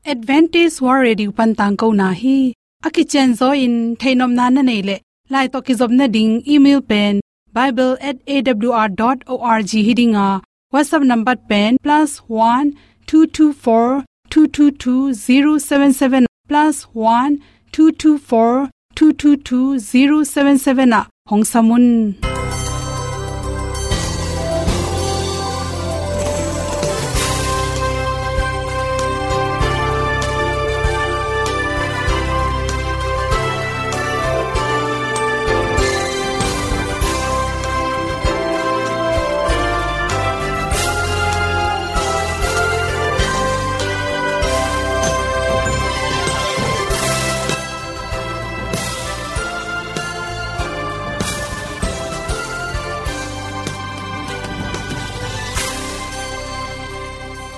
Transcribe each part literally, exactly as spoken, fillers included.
Adventist World Radio pan tangkona hi. A kicianzaw in theihnopna na neih leh, lai tawh kizopna ding email pen bible at A W R dot org hi ding a, WhatsApp number pen plus one two two four two two two zero seven seven, plus one two two four two two two zero seven seven ah hong sam un.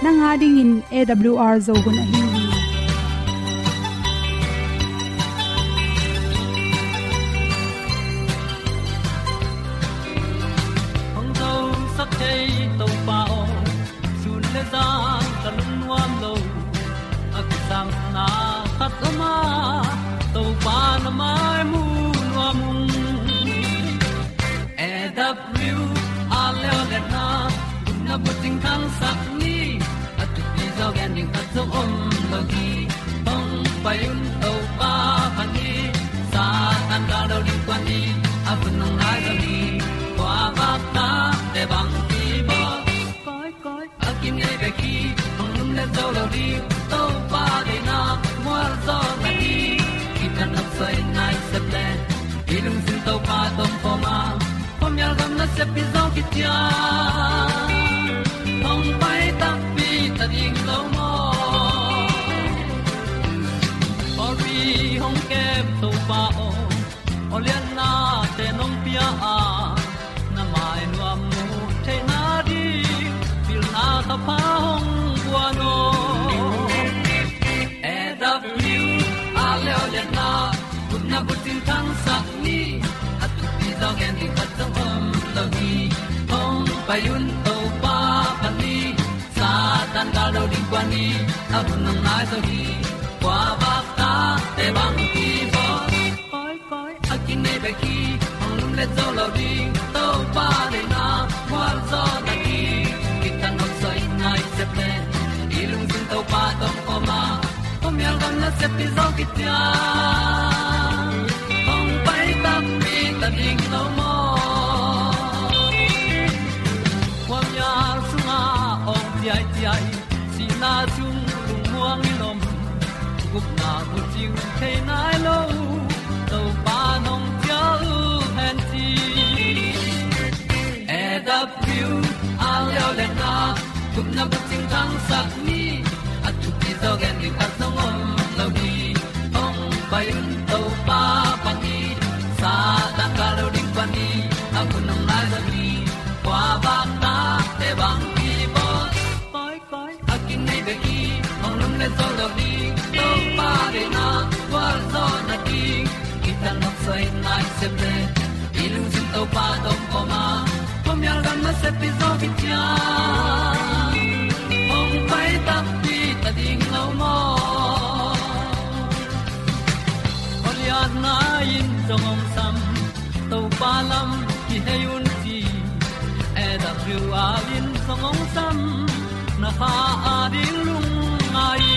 Nang a dingin A W R Zo hun ahi hi. Hong zosak thei Topa aw, sun le zan ka lungnuam lo. A kisangna khat om a, Topa na mai mu nuam ung. A W R leo le na, na bucing khangsak ni, a thupi zaw gen ding khat zong om lo hi. Hong pai un Topa phat ni, Satan gal lo ding kuan ni, a hun hong nai lo ni. Kua vak ta te bang ki bawl. Koi, koi, a kinei bek hi, hong lum le zo lo ding, Topa deihna mual zaw na hi. Kita nop soi nai sep le, i lungsim Topa tawh pom a, pom yal gam na sep pi zaw ki cia. Hong pai takpi ta ding lo maw? Pawlpi hong kem Topa aw, aw lianna te nong pia a, na mai nuam mu theihna ding, pilna ka pha hong guan aw. A W R leo le na, gupna bucing khangsak ni, a thupi zaw gen ding khat zong om lo hi. Hong pai un Topa phat ni, Satan gal lo ding kuan ni, a hun hong nai zo hi. Kua vak ta te bang ki bawl. Koi, koi, a kinei bek hi, hong lum le zo lo ding, Topa deihna mual zaw na hi. Kita nop soi nai sep le, i lungsim Topa tawh pom a, pom yal gam na sep pi zaw ki cia. Hong pai takpi ta ding lo maw? Khuamial sungah awng ciaiciai, sihna sung lungmuang i lom, gupna bucing thei nai lo, Topa nong cial hen ci. A W R leo le na, gupna bucing khangsak ni, a thupi zaw gen ding khat zong om lo hi. Hong pai un Topa phat ni, Satan gal lo ding kuan ni, a hun hong nai zo hi. Kua vak ta te bang ki bawl. Koi, koi, a kinei bek hi, hong lum le zo lo ding, Topa deihna mual zaw na hi. Kita nop soi nai sep le, i lungsim Topa tawh pom a, pom yal gam na sep pi zaw ki cia. Hong pai takpi ta ding lo maw? Aw lianna in zong hong sam, Topa lam kihei un ci. A W R in zong hong sam, na kha a ding lungngai.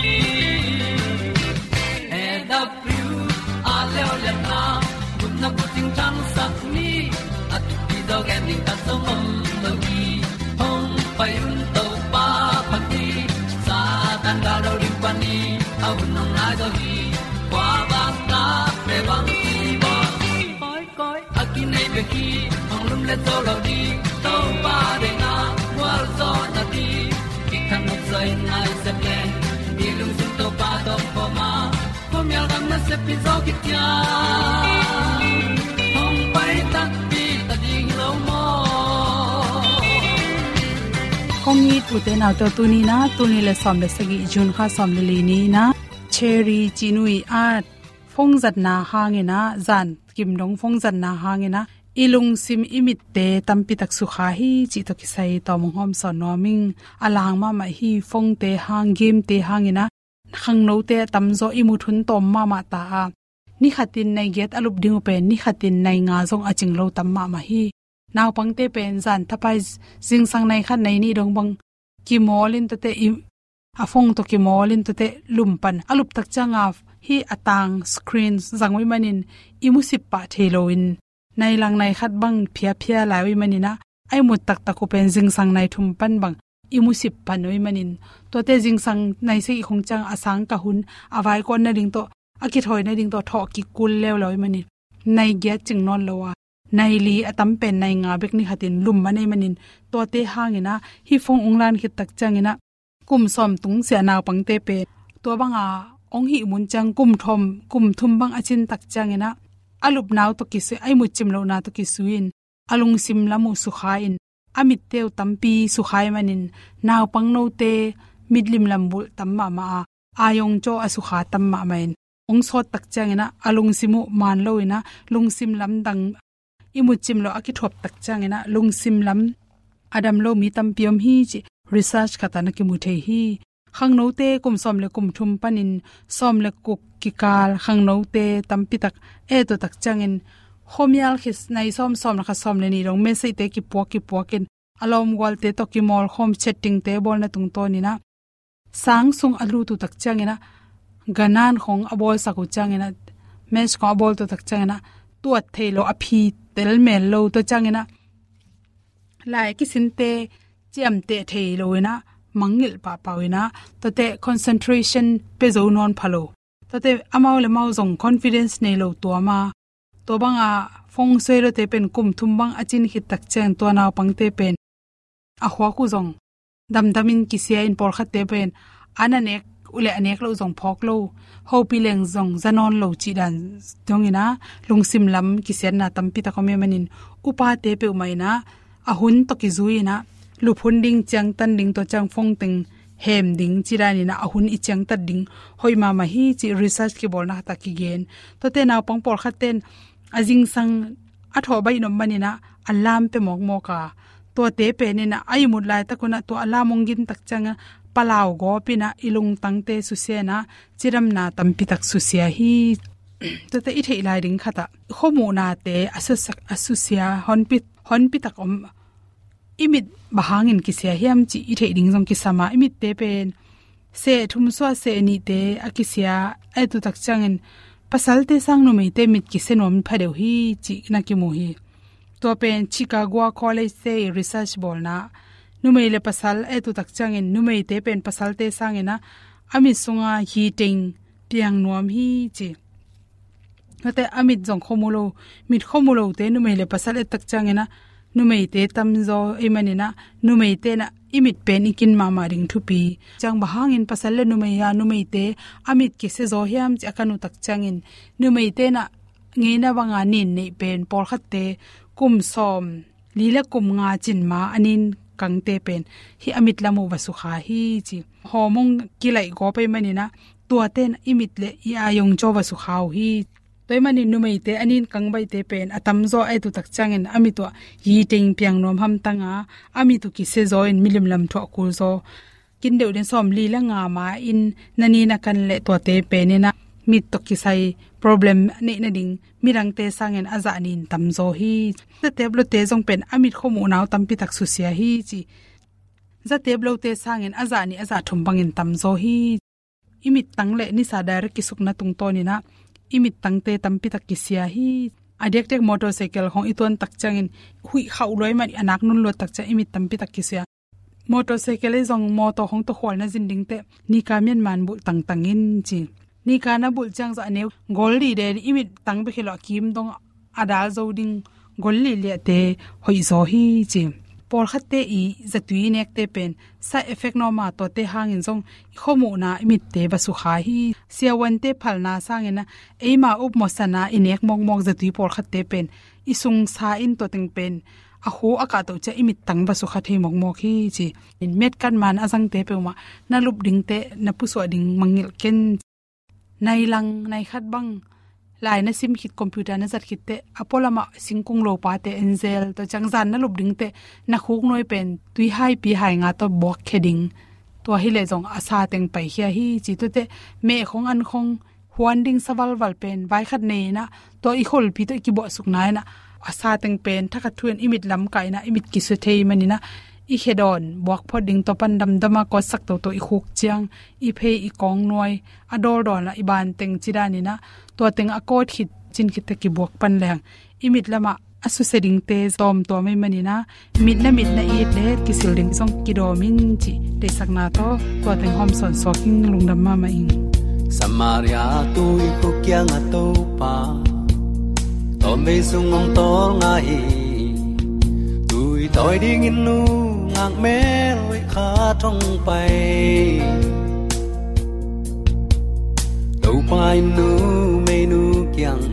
A W R leo le na, gupna bucing khangsak ni, a thupi zaw gen ding khat zong om lo hi. Hong pai un Topa phat ni, Satan gal lo ding kuan ni, a hun hong nai zo hi. Kua vak ta te bang ki bawl. Koi, koi, a kinei bek hi, hong lum le zo lo ding, Topa deihna mual zaw na hi. Kita nop soi nai sep le, i lungsim Topa tawh pom a, pom yal gam na sep pi zaw ki cia. Hong pai takpi ta ding lo maw? Kong it u te nau te, tuni na, tul nih le sawm le sagih, June kha sawm le li ni na, Cherry Cinu i at phone zatna hangin a, zan kim dong phone zatna hangin a, i lungsim i mitte tampi tak sukha hi cih tawh kisai tawm hong hawmsawn nuam ing. A lang mahmah hi, phone te hang, game te hangin a, khangnote a tamzaw i mut hun tawm mahmah ta a, ni khatin nai giat a lup ding uh pen ni khatin nai nga zong a cing lo tam mahmah hi. Naupangte pen zan thapai zingsang nai khat nai nih dong bang kimawl in tate i, a phone tawh kimawl in tate lum pan a lup tak cianga hih a tang screen zang uh ih manin i musip pah thei loin nai lang nai khat bang phiaphia lai uh ih manin ah, a i mut taktak uh pen zingsang nai thum pan bang i musip pan uh ih manin, tuate zingsang nai sagih khong ciang a sang ka hun a vaikuan nading tawh, a kithawi nading tawh thawh kikul leuleu ih manin nai giat cing nawn lo a, nai li a tam pen nai nga bek ni khatin lum man ih manin, tuate hangin ah hih phone ung lan khit tak ciangin ah kum sawm tung sia naupangte pen tua banga ong hih mun ciang kum thum, kum thum bang a cin tak ciangin ah a lupna uh tawh kisui, a i mut cim lohna tawh kisui in a lungsim lam uh sukha in, a mitte uh tampi sukha ih manin naupang note mitlim lam bulh tam mahmah a, a yong caw a sukha tam mahmah in, ong sawt tak ciangin ah a lungsim uh man lo in ah lungsim lam dang i mut cim lo a kithuap tak ciangin ah lungsim lam a dam lo mi tampi om hi cih research khat ah na kimu thei hi. Khangnote kum sawm le kum thum panin sawm le guk kikal khangnote tampi tak et uh tak ciangin khuamial khit nai sawm, sawm le khat, sawm le nih dong message-te kipuak kipuak in a lawmgualte tawh kimawl khawm chatting-te bawlna tungtawn in ah sang sung a lut uh tak ciangin ah ganan khong a bawlsak uh ciangin ah, match khong a bawl uh tak ciangin ah tuat thei lo, a phi tel mel lo, tua ciangin ah lai kisinte ciamteh thei lo in ah mangngilh pahpah uh in ah tuate concentration pia zo nawn pha lo, tuate amau le mau zong confidence nei lo tuam a, tua banga phone suai lote pen kum thum bang a cin khit tak ciang tua naupangte pen a khuak uh zong damdamin kisia in, pawlkhatte pen an a nek uh le a nek loh zong phawk lo, hopih leng zong za nawn lo cih dan dongin ah lungsim lam kisiatna tampi tak om ih manin upate peuhmah in ah a hun tawh kizui in ah lup hun ding, ciangtan ding, tua ciang phone teng hem ding cih danin ah a hun i ciangtat ding hoih mahmah hi cih research kibawlna khat ah kigen. Tuate naupang pawlkhatte in a zingsang a thawh baih nop manin ah alarm pia mawkmawk a, tuate pen in ah a i mut laitak un ah tua alarm ong gin tak ciangin ah palau gawp in ah i lungtangte susia in ah cidamna tampi tak susia hi. Tuate i theih lai ding khat ah khuamuhnate a susia, a susia honpi, honpi tak om, i mit bang hangin kisia hiam cih i theih ding zong kisam a, i mitte pen seh thum suah seh nihte a kisia a et uh tak ciangin pasalte sang numeite mit kisia nuam pha deuh hi cih na kimu hi. Tua pen Chicago College-te i research bawlna, numei le pasal a et uh tak ciangin numeite pen pasalte sangin ah a mit sunga hiteng piang nuam hi ci. Tuate a mit zong khuamu lo, mit khuamu lote numei le pasal et tak ciangin ah numeite tamzaw ih manin ah numeite in ah i mit pen i kin mahmah ding thupi. Ciang bang hangin pasal le numei a, numeite a mit kisia zaw hiam cih a kan uh tak ciangin numeite in ah ngeina banga nin neih pen pawlkhatte kum sawm li le kum nga cin ma a nin kangte pen hih a mit lam uh va sukha hi ci. Hawm ong kilaih gawp ih manin ah tuate in i mit le i a yong caw va sukha uh hi. Tua ih manin numeite a nin kang baihte pen a tamzaw a et uh tak ciangin a mit uh ah hiteng piang nuam hamtang a, a mit uh kisia zaw in milim lam thuah kul zaw. Kin deuh din sawm li le nga ma in na nin a kan leh tuate pen in ah mit tawh kisai problem neih nading midangte sangin a zah nih in tamzaw hi. Zatep lote zong pen a mit khuamuhna uh tampi tak susia hi ci. Zatep lote sangin a zah nih a zah thum bangin tamzaw hi. I mittang le nisa direct kisukna tungtawn in ah i mittangte tampi tak kisia hi. A diakdiak motorcycle khong i tuan tak ciangin huih khauh lua ih man a nak nun luat tak ciang i mit tampi tak kisia. Motorcycle ih zong motor khong tawh khual na zin dingteh nika mianman bulh tangtang in ci. Nika na bulh ciang zah a neu gol dih den i mittang bek hi lo a kim dong a dal zo ding gol lihliahte hoih zaw hi ci. Pawlkhatte i zatui i nekte pen side effect nuam a, tuate hangin zong i khuamuhna i mitte va sukha hi. Siavuante phalna sangin ah eima upmawhsana i nek mawkmawk zatui pawlkhatte pen i sungsa in tua teng pen a khu a kahtoh ciang i mittang va sukha thei mawkmawk hi ci. Metkat man a zangte peuhmah na lup dingteh na pusuah ding mangngilh ken. Nai lang nai khat bang lai na sim khit, computer na zat khitteh a pualamah singkung lopate en zel, tua ciang zan na lup dingteh na khuknuai pen tui haipi hai nga tawh buakkhia ding. Tua hileh zong a sa teng paikhia hi ci. Tuate meh khong an khong huan ding sa valval pen vai khat nei inah, tua i kholpi tawh i kibuahsukna inah, a sa teng pen thakhat thu in i mit lamkah inah, i mit kisuah thei maninah, i khedawn buak phot ding tua pan damdama kawtsak toto i khuk ciang, i phei i kawng nuai a dawldawnah i ban teng ci daninah, tua teng a kawt khit cin khit teh kibuak pan leng i mit lamah a susia dingte tawmtuam ei maninah, mitna mitna it le kisil ding zong kidawm in cih deihsakna tawh tua teng hawm sawnsuak ing. Lungdam mahmah ing. Samaria tui khuk kiangah Topa tawmvei sung hong tawlnga hi. Tui tawi dingin nungak mel hoih khat hong pai. Topa in numeinu kiang,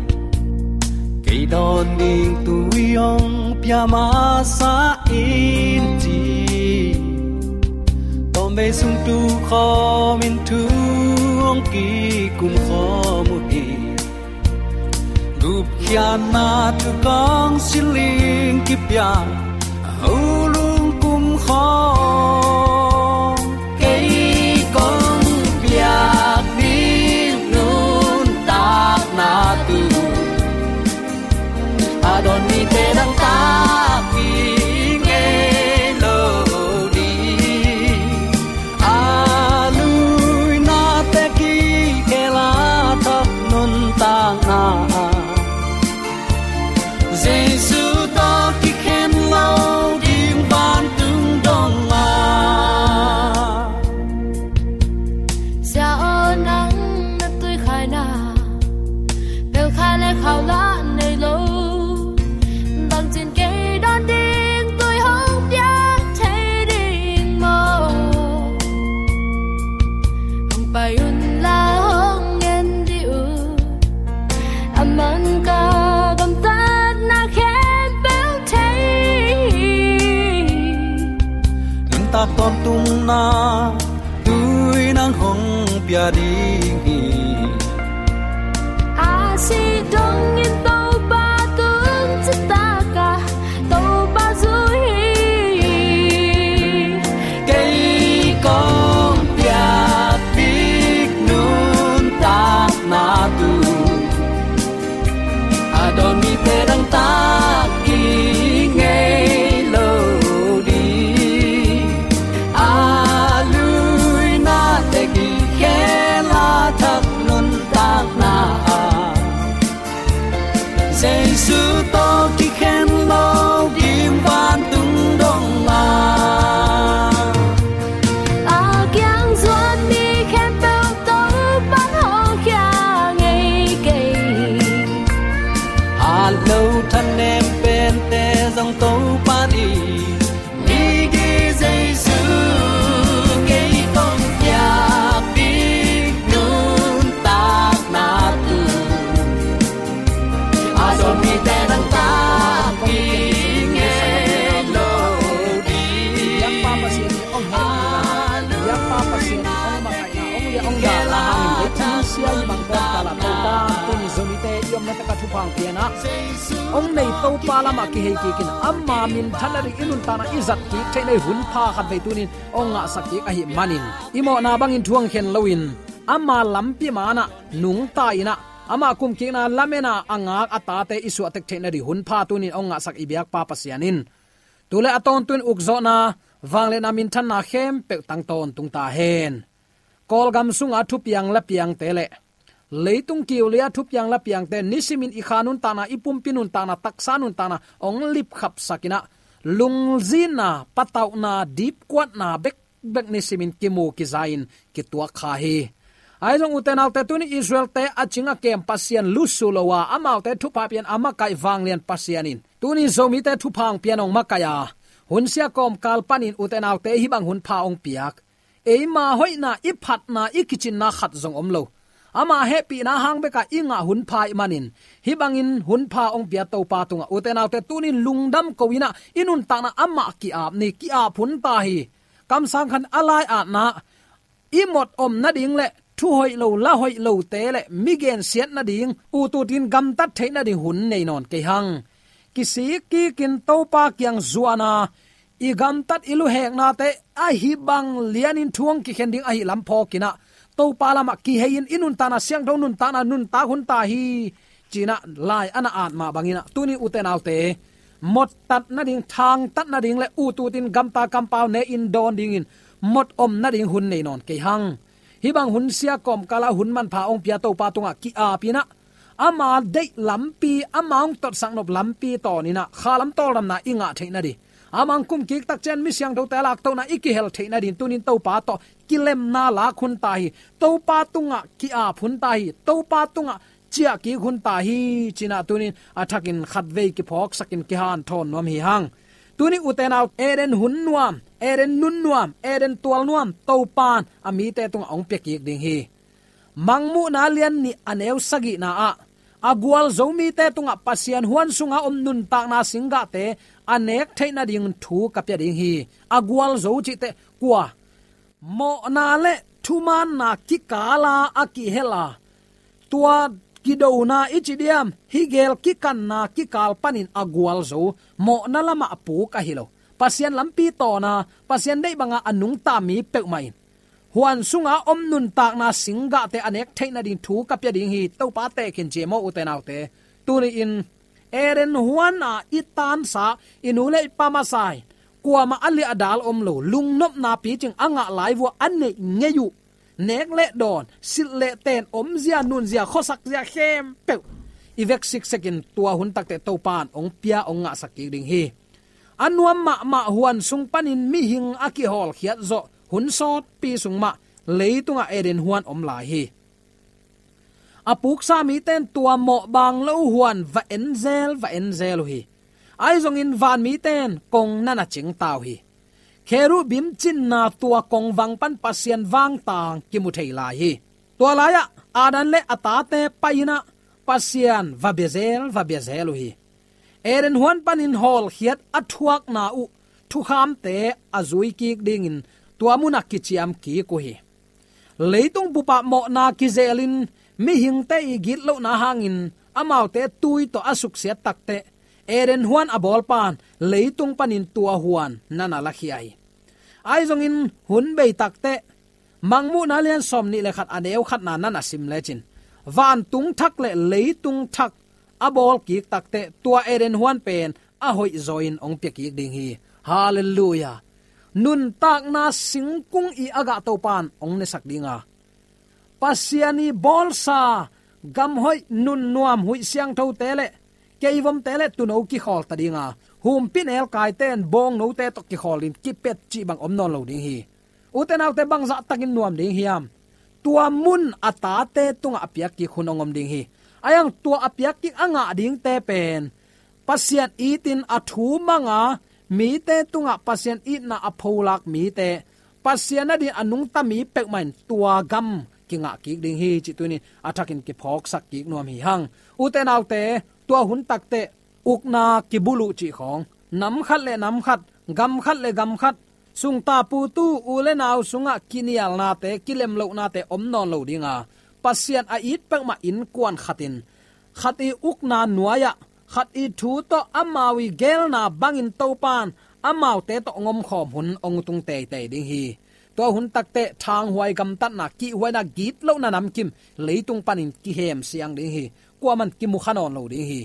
kei dawn ding tui hong pia masa in ci. Tawmvei sung tukhawmin thu hong kikum khawm uh hi. Gupkhiatna thukawng siling kipia, a ho lungkum khawng, kei kong piak ding nuntakna tu, a dawn mite dangtak i ngei lo ding. A luina teki khel a thak nuntakna, Jesu tawh kikhen lo ding vantung dong a. Sia aw, nang na tuikhaina pelkhai le khau lah nei lo. Bangcin kei dawn ding tui hong pia thei ding maw? Hong pai un la hong ngen dih un. A man ka gamtatna khempeuh thei. Nuntak tawntungna tui nang hong pia ding hi. A si dongin Topa tung citak a Topa zui hi. Kei kong piak ding nuntakna tu, a dawn mite dangtak i ngei lo ding. A luina teki khel a thak nuntakna ah, Jesu tawh kikhen lo ding vantung dong a. A kiang zuan mi khempeuh Topa'n hawlkhia ngei kei. Hat lo thanem pente zong Topa'n i migi. Jesu, kei kong piak ding nuntakna tu, a dawn mite dangtak i ngei lo ding. Biakpa Pasian in hong hehpihna, biakpa Pasian in hong makaihna, hong liah hong dahna hangin leitung sia i bang kawmkal ah Topa tuni Zomite i omna tak ah thupha hong pia in ah, hong nei Topa lamah kihei kik in, ama minthanna ding i nuntakna i zat kik theihna ding hunpha khat vei tuni in hong ngahsak kik ahih manin, i mawhna bangin thu hong khen loin, ama lampi manah nungta in ah, ama kumkikna lamen a a ngak a tate i suahtek theihna ding hunpha tuni in hong ngahsak i biakpa Pasian in, tu le a tawntung in ukzawhna, vangliatna, minthanna khempeuh tang tawntung ta hen. Kawlgam sunga thupiang lapiangte le leitung kiulia thupiang lapiangte nisimin i kha nuntakna, i pumpi nuntakna, taksa nuntakna hong lipkhapsak in ah, lungzinna, patauhna, dipkuatna bekbek nisimin kimu kiza-in kituak kha hi. Ahi zong ute naute, tuni Israel-te a cing a kem Pasian lusu lo a, amaute thupha pian a makaih vanglian Pasian in tuni Zomite thupha hong pian hong makaih a, hunsia kawmkal panin ute naute hih bang hunpha hong piak, eima hoihna, i phatna, i kicinna khat zong om lo. Ama hehpihna hang bekah i ngah hunpha ahih manin, hih bangin hunpha hong pia Topa tungah ute naute tunin lungdam ko in ah, i nuntakna amah ki-ap ni, ki-ap hun ta hi. Kamsang khat a lai-atna, i mot om nading le thu hoih lo, la hoih lote le mi gensiat nading, ut utin gamtat theih nading hun nei nawn kei hang. Kisik kikin Topa kiang zuan a, i gamtat i luheknate ahi bang lianin thu hong kikhen ding ahi lam phawkin ah, Topa lamah kihei-in i nuntakna siangtho nuntakna nuntak hun ta hi, ci-in ah lai a na at mah bangin ah, tuni ute naute, mottat nading, thangtat nading le ut utin gamta kampau ne-in dawn dingin mot om nading hun nei nawn kei hang. Hih bang hun sia kawmkal ah hun manpha hong pia Topa tungah ki-apin ah, ama deih lampi, ama hong totsak nop lampi tawnin ah kha lam tawldamna i ngah theih nading, ama hong kumkik tak ciang mi siangthote a laktohna i kihel theih nading tunin Topa tawh kilemna lak hun ta hi. Topa tungah ki-ap hun ta hi. Topa tungah ciahkik hun ta hi, ci-in ah tunin a thakin khatvei kiphawksakin kihanthawn nuam hi hang. Tuni ute nau, Eden hun nuam, Eden nun nuam, Eden tual nuam Topa'n a mite tungah hong piakik ding hi. Mangmuhna lian nih a neu sagihna ah, a gualzo mite tungah Pasian huan sunga om nuntakna singgahte a nek theih nading thu ka pia ding hi. A gualzo cih teh kua? Mawhna le thumaanna kikala a kihel a, tua kidona i ci diam, hi gel kikanna kikal panin a gualzo, mawhna lamah a puk ahi lo, Pasian lampi tawna, Pasian deih banga a nungta mi peuhmah in huan sunga om nuntakna singgahte a nek theih nading thu ka pia ding hi, Topa tekhin ci e maw ute naute. Tuni-in Eden huan a i tansa, i nu le i pa masa in kuamah a liahdal om lo, lungnopna picing a ngah lai vua a neih ngei uh, nek le dawn, silh le ten, omzia, nunzia, khuasak zia khempeuh i vek siksekin tua hun takteh Topa'n hong pia, hong ngahsak kik ding hi. A nuam mahmah huan sung panin mihing a kihawlkhiat zawh hun sawtpi sung mah leitungah Eden huan om lai hi. A puksa mite in tua mawh baang lo huan va en zel, va en zel uh hi. Ahi zongin van mite in kong na na cingta uh hi. Kherubim cinna tua kongvang pan Pasian vangtang kimu thei lai hi. Tua lai-ah Adam le a tate pai-in ah Pasian va bia zel, va bia zel uh hi. Eden huan panin hawlkhiat a thuakna uh thukhamte a zui kik dingin tua munah kiciam kik uh hi. Leitung bupah mawhna kizelin mihingte i gitlohna hangin amaute tui tawh a suksiat takteh Eden huan a bawlpa'n leitung panin tua huan na na lakhia hi. Ahi zongin hun bei takteh Mangmuhna lian sawmnih le khat a neu khatna na na sim lecin, vantung thak le leitung thak a bawl kik takteh tua Eden huan pen a hoih zaw-in hong pia kik ding hi. Halleluiah. Nuntakna singkung i a gah Topa'n hong nesak ding a, Pasian i bawlsa gamhoih, nunnuam, huih siangthote le keivomte le tuuno kikhawl ta ding a, humpinelkaite in bawngnote tawh kikhawl in kipet cih bang om nawn lo ding hi. Ute naute, bangzah takin nuam ding hiam? Tua mun a tate tungah a piak kik hun hong om ding hi. Ahi hang tua a piak kik a ngah dingte pen Pasian itin a thu mang a, mite tungah Pasian itna a pholak mite, Pasian adingin a nungta mi peuhmah in tua gam kingah kik ding hi, cih tuni-in a thakin kiphawksak kik nuam hi hang. Ute naute, tua hun takteh ukna kibuluh cih khawng, nam khat le nam khat, gam khat le gam khat, sungta putu u le nau sungah kinialnate, kilemlohnate om nawn lo ding a, Pasian a it peuhmah innkuan khat in khat i ukna nuai-ah khat i thu tawh amau i geelna bangin Topa'n amaute tawh hong omkhawm hun hong tung teitei ding hi. Tua hun takteh thanghuai gamtatna, kihhuaina, gitlohna namkim leitung panin kihem siang ding hi. Kuamah in kimu kha nawn lo ding hi.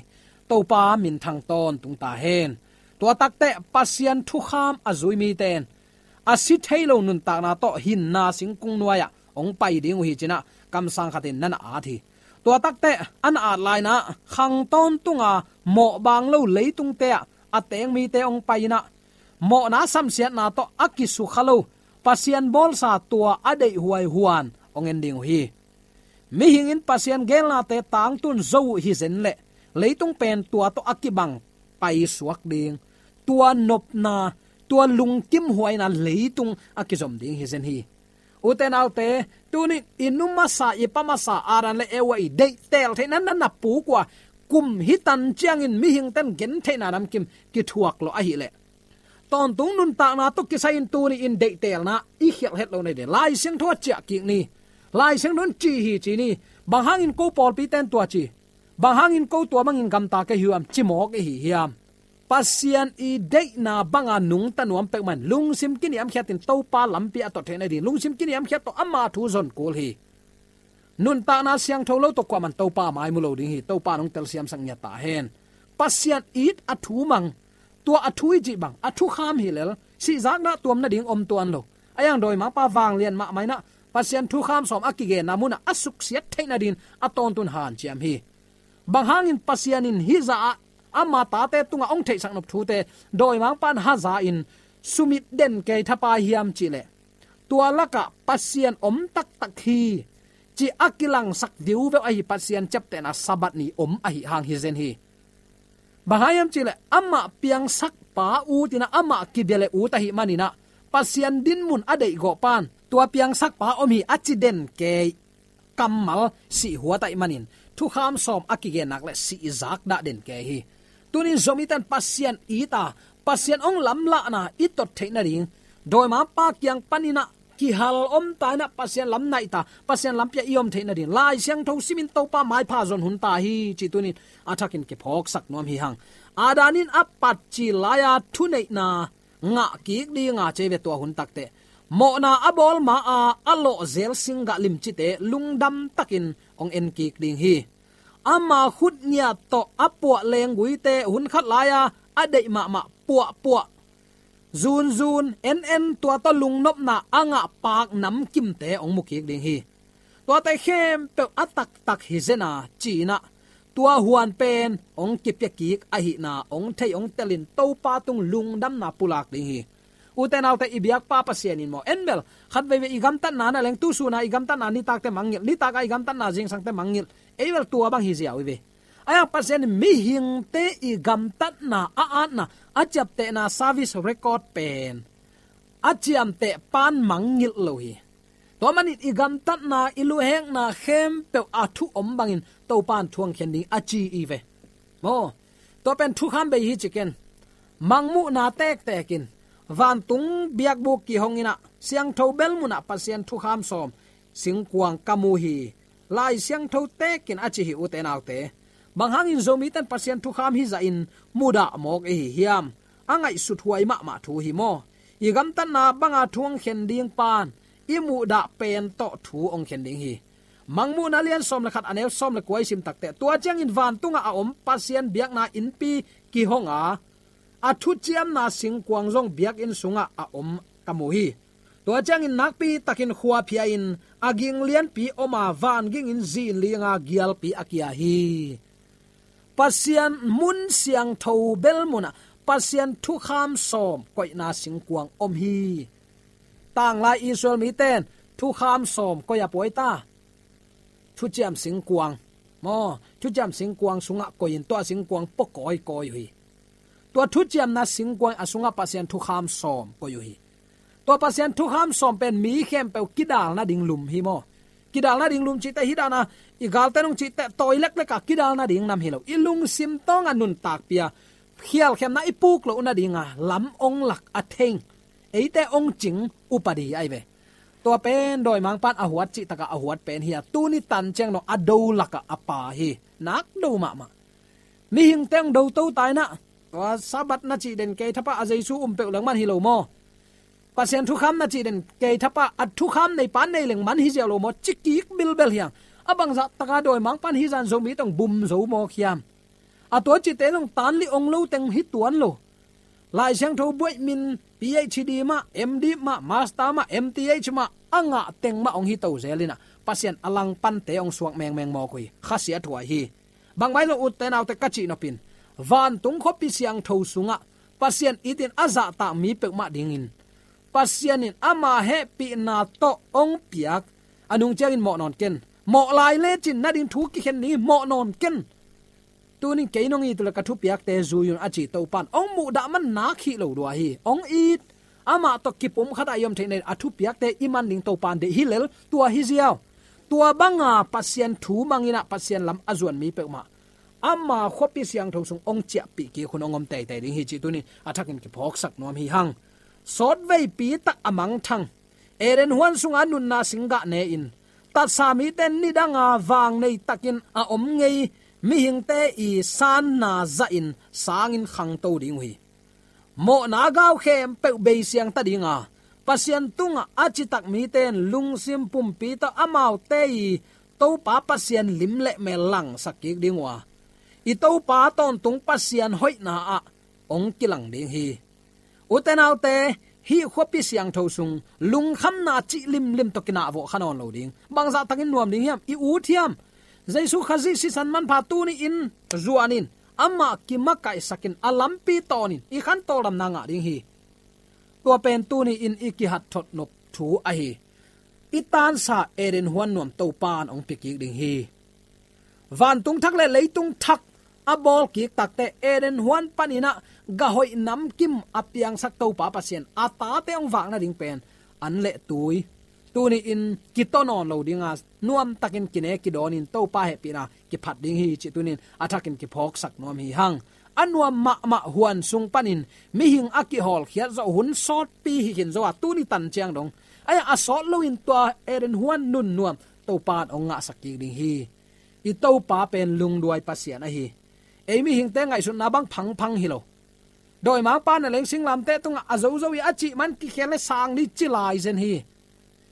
Topa minthang tawntung ta hen. Tua takteh Pasian thukham a zui mite in a si thei lo nuntakna tawh hinna singkung nuai-ah hong pai ding uh hi, ci-in ah kamsang khatin na na at hi. Tua takteh a na at lai-in ah khang tawntunga mawh baang lo leitungte ah a teng mite hong pai-in ah, mawhna samsiatna tawh a kisukha lo, Pasian bawlsa tua a deihhuai huan hong en ding uh hi. Mihing in Pasian geelnate tangtun zo uh hi zen leh, leitung pen tua tawh a kibang paisuak ding, tua nopna, tua lungkimhuaina leitung a kizom ding hi zen hi. Ute naute, tuni-in i nu masa, i pa masa Adam le Eva i deihteel theihna na na puk uh a, kum hi tan ciangin mihingte in gentheihna namkim kithuak lawh ahih leh, tawntung nuntakna tawh kisai-in tuni-in deihtelna i khialh het loh nading Lai Siangtho ah ciah kik ni. Lai Siangtho in ci hi ci ni. Bang hangin ko pawlpite in tua ci, bang hangin ko tua bangin gamta ka hi uh hiam, ci mawk i hi hiam? Pasian i deihna banga nungta nuam peuhmah in lungsim kiniamkhiatin Topa lampi a tot theih nading, lungsim kiniamkhiat tawh ama thu zon kul hi. Nuntakna siangtho lo tawh kuaman Topa mai mu lo ding hi. Topa nong telsiamsak ngiat ta hen. Pasian it a thu mang, tua a thu i cih bang a thukham hi lel, sihzak dah tuam nading om tuan lo. A iang dawimangpa vanglian mahmah inah Pasian thukham sawm a kigenna munah a suksiat theih nadin a tawntun hanciam hi. Bang hangin Pasian in hih zah ah ama tate tungah hong theihsak nop thute dawimangpan haza in sumit den kei thapai hiam cihleh, tua lakah Pasian om taktak hi ci a kilangsak diuveuh ahi Pasian ciaptehna Sabbath ni om ahi hang hi zen hi. Bang hang hiam cihleh amah piangsakpa ut inah amah kibia le ut ahi maninah Pasian dinmun a deihgawh pan tua piangsakpa om hi a ci den kei kammal sihhuat ahi manin thukham sawm a kigennak le sihzak dah den kei hi. Tunin Zomite in Pasian it a, Pasian hong lamlahna i tot theih nading, dawimangpa kiang paninah kihal om ta inah Pasian lam naih ta, Pasian lampi ah i om theih nadin Lai Siangtho simin Topa maipha zon hun ta hi ci tunin a thakin kiphawksak nuam hi hang. Adam in a patcil lai-a thuneihna ngah kik dinga cei ve tua hun takteh mawhna a bawl ma-a a lawhzel singgah limcite lungdam takin hong en kik ding hi. Ama khut ngiat tawh a puah lengguite hun khat lai-a a deih mahmah puahpuah, zunzun, en en tua tawh lungnopna a ngah paak namkimte hong mu kik ding hi. Tuate khempeuh a taktak hi zen a ci inah tua huan pen hong kipia kik ahihna hong thei hong telin Topa tung lungdamna pulak ding hi. Ute naute, i biakpa Pasian in maw, en bel khat veivei i gamtatna na leng, tu suna i gamtatna nitakte mangngilh, nitaka i gamtatna zingsangte mangngilh, ei bel tua bang hi ziau hi ve. Ahi hang Pasian in mihingte i gamtatna a atna, a ciaptehna service record pen a ciamteh pan mangngilh lo hi. Tua manin i gamtatna, i luhekna khempeuh a thu om bangin Topan thuang khen ding a ci hi ve. Maw, tua pen thukham bei hi ci ken. Mangmuhna tektek in vantung biakbuk kihong inah siangtho bel munah Pasian thukham sawm singkuang ka mu hi. Lai Siangtho tekin a ci hi, ute naute. Bang hangin Zomite in Pasian thukham hi zahin mudah mawk i hi hiam? A ngaihsut huai mahmah thu hi maw. I gamtatna banga thu hong khen ding pan i muhdah pen tawh thu hong khen ding hi. Mangmuhna lian sawm le khat a neu sawm le kua i sim takteh, tua ciangin vantungah a om Pasian biakna innpi kihong a, a thuciamna singkuang zong biakinn sungah a om ka mu hi. Tua ciangin nakpi takin khua phia-in a ging lianpi om a, van gingin zin linga gialpi a kia hi. Pasian mun siangtho bel munah Pasian thukham sawm koihna singkuang om hi. Tanglai Israel mite in thukham sawm koi a puai ta? Thuciam singkuang. Maw, thuciam singkuang sungah koi in tua singkuang pua kawikawi uh hi. Tua thuciamna singkuang a sungah Pasian thukham sawm koi uh hi. Tua Pasian thukham sawm pen mi khempeuh kidal nading lum hi maw. Kidal nading lum cihte hi dana, i galte nung cihte tawi lekleka kidal nading nam hi lo. I lungsim tawngah nuntakpia khialkhiamna i puk loh nadinga lam ong lak a theng, eite ong cing upadi ahi ve. Tua pen dawimangpan a huat cihtaka a huat pen hi a, tuni tan ciang dong a do lakah a pa hi. Nak do mahmah. Mihingte ong do to ta inah, tua Sabbath na cih den kei thapah a Jesu um peuh lengman hi lo maw. Pasian thukham na cih den kei thapah a thukham neipa nei lengman hi ziau lo maw, ci kik bilbel hi hang. A bangzah taka dawimangpan hi zan Zomite ong bum zo mawk hiam? A tua cihte zong tan li ong lo teng hi tuan lo. Lai Siangtho buaih min PhD mah, MD mah, Master mah, MTh mah a ngah teng mah ong hi to zel inah Pasian a langpante ong suak mengmeng mawk uh hi. Khasiat huai hi. Bangmah hi zong, ute naute, ka cih nopin, vantung khuapi siangtho sungah Pasian itin a zahtak mi peuhmah dingin Pasian in ama hehpihna tawh ong piak a nung ciangin mawh nawn ken. Mawh lai lecin nading thu kikhen ding hi, mawh nawn ken. Tunin kei nong it uh le ka thupiakte zui un a ci Topan ong muhdah man nak hih lo lua hi. Ong it, amah tawh kipumkhat ah i om theih nadin a thupiakte i man ding Topan deih hi lel, tua hi ziau. Tua banga Pasian thu mang inah Pasian lam a zuan mi peuhmah ama khuapi siangtho sung ong ciahpih kik hun ong om teitei ding hi cih tunin a thakin kiphawksak nuam hi hang. Sawtveipi tak a mangthang Eden huan sunga nunna singgah ne-in, tatsa mite in nidanga vang nei takin a om ngei mihingte i sanna zahin sangin khangto ding uh hi. Mawhna gau khempeuh beisiang ta dinga, Pasian tungah a citak mite in lungsim pumpi tawh amaute i Topa Pasian lim le mel langsak kik ding uh a, i Topa tawntung Pasian hoihna ah hong kilang ding hi. Ute naute, hih khuapi siangtho sung lungkhamna cih limlim tawh kinahvawh kha nawn lo ding. Bangzah takin nuam ding hiam? I ut hiam? Jesu Khazih sisan manpha tuni-in zuanin, amah kimakaihsakin, a lampi tawnin i khan tawldamna ngah ding hi. Tua pen tuni-in i kihat thotnop thu ahi. I tansa Eden huan nuam Topa in hong pia kik ding hi. Vantung thak le leitung thak a bawl kik takteh Eden huan panin ah gah hoih namkim a piangsak Topa Pasian a tate hong vak nading pen an le tui, tuni-in kitaw nawn lo dinga, nuamtakin kine kidawnin Topa hehpihna kiphat ding hi cih tuni-in a thakin kiphawksak nuam hi hang. A nuam mahmah huan sung panin mihing a kihawlkhiat zawh hun sawtpi hi khin zo a, tuni tan ciang dong. Ahi a sawt loin tua Eden huan nunnuam Topa in hong ngahsak kik ding hi. I Topa pen lungduai Pasian ahi. Ei mihingte ngaihsutna bang phangphang hi lo. Dawimangpa na leng singlamteh tungah a zozo i a cih man kikhel le sang ni ci lai zen hi.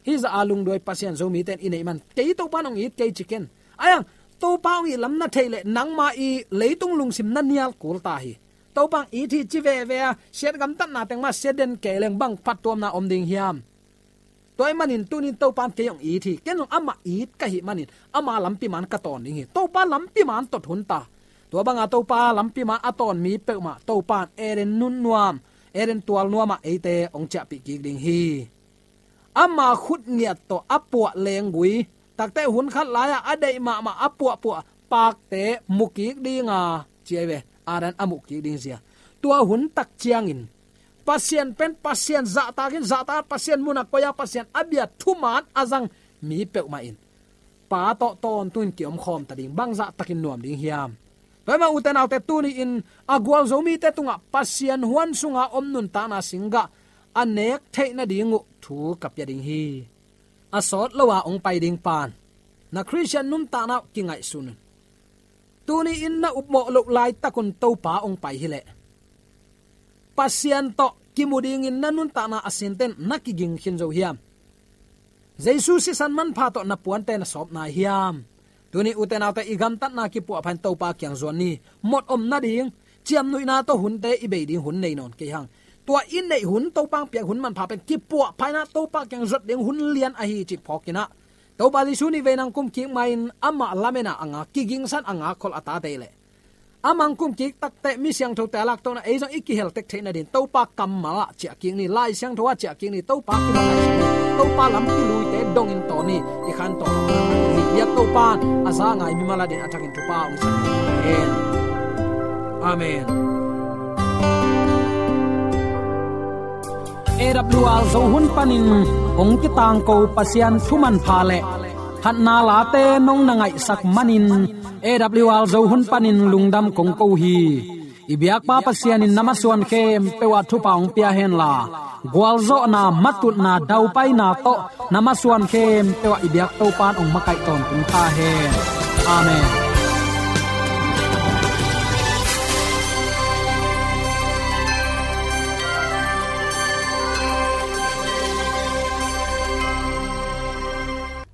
Hih zah a lungduai Pasian Zomite in i neih man, kei Topa in hong it kei ci ken. Ahi hang, Topa hong it lam na theih leh nangma i leitung lungsim na nial kul ta hi. Topa hong it hi ci veve a, siat gamtatna teng mah sia den kei leng bang phattuamna om ding hiam? Tua ahih manin tuni-in Topa in kei hong it hi, ken zong amah it ka hih manin ama lampi man ka tawn ding hi. Topa lampi man tot hun ta. Tua banga Topa lampi man a tawn mi peuhmah Topa in Eden nunnuam, Eden tualnuamah eite hong ciahpih kik ding hi. Ama khut ngiat tawh a puah lenggui, takteh hun khat lai-ah a deih mahmah a puahpuah pakte mu kik dinga, ci ahi ve, Adam a muh kik ding zia. Tua hun tak ciangin Pasian pen Pasian zahtakin, zahtak Pasian munah koih a, Pasian a bia thuman a zang mi peuhmah in Pa tawh tawntungin ki-omkhawm ta ding, bangzah takin nuam ding hiam? Tua ahih manin ute naute, tuni-in a gualzo mite tungah Pasian huan sunga om nuntakna singgah a nek theih nading uh thu ka pia ding hi. A sawt lo a hong pai ding pan na Khristian nuntakna uh kingaihsun un. Tuni-in na upmawh loh laitakun Topa hong pai hileh Pasian tawh kimu dingin na nuntakna a sinten na kiging khin zo hiam? Jesu sisan manpha tawh na puante na sawp nai hiam? Tuni ute naute, i gamtatna kipuahpha in Topa kiang zuan ni. Mot om nading, ciamnuihna tawh hunte i bei ding hun nei nawn kei hang. Tua i neih hun, Topa hong piak hun manpha pen kipuahpha in ah Topa kiang zuat ding hun lian ahi cih phawk in ah, Topa Jesu nih vei nang kum kik ma-in amah lamen a a ngak, kigingsan a ngak khol a tate leh, amah hong kum kik takteh mi siangthote a lak tawh in ah ei zong i kihel tek theih nading Topa kammal ah ciah kik ni, Lai Siangtho ah ciah kik ni, Topa kimat ah ciah ni, Topa lampi luite dongin tawn ni. I khan tawh biak Topa in a za ngai mimal adingin a thakin thupha hong sak hen. Amen. A W R Zo hun panin hong kitangko Pasian thu manpha le phatna late nong na ngaihsak manin A W R Zo hun panin lungdam kong ko hi. I biakpa Pasian in na masuan khempeuh ah thupha hong pia henla, gualzawhna, matutna, daupaina tawh na masuan khempeuh ah i biak Topa in hong makaih tawntung ta hen. Amen.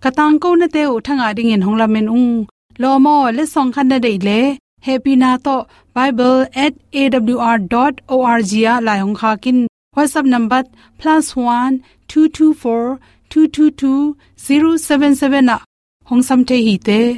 Ka tangkonate uh thangah dingin hong lamen ung. Lawm aw, letsong khat na deih leh hehpihna tawh bible at A W R dot O R G ah lai hong khak in. WhatsApp number plus one two two four two two two zero seven seven ah hong sam thei hi te.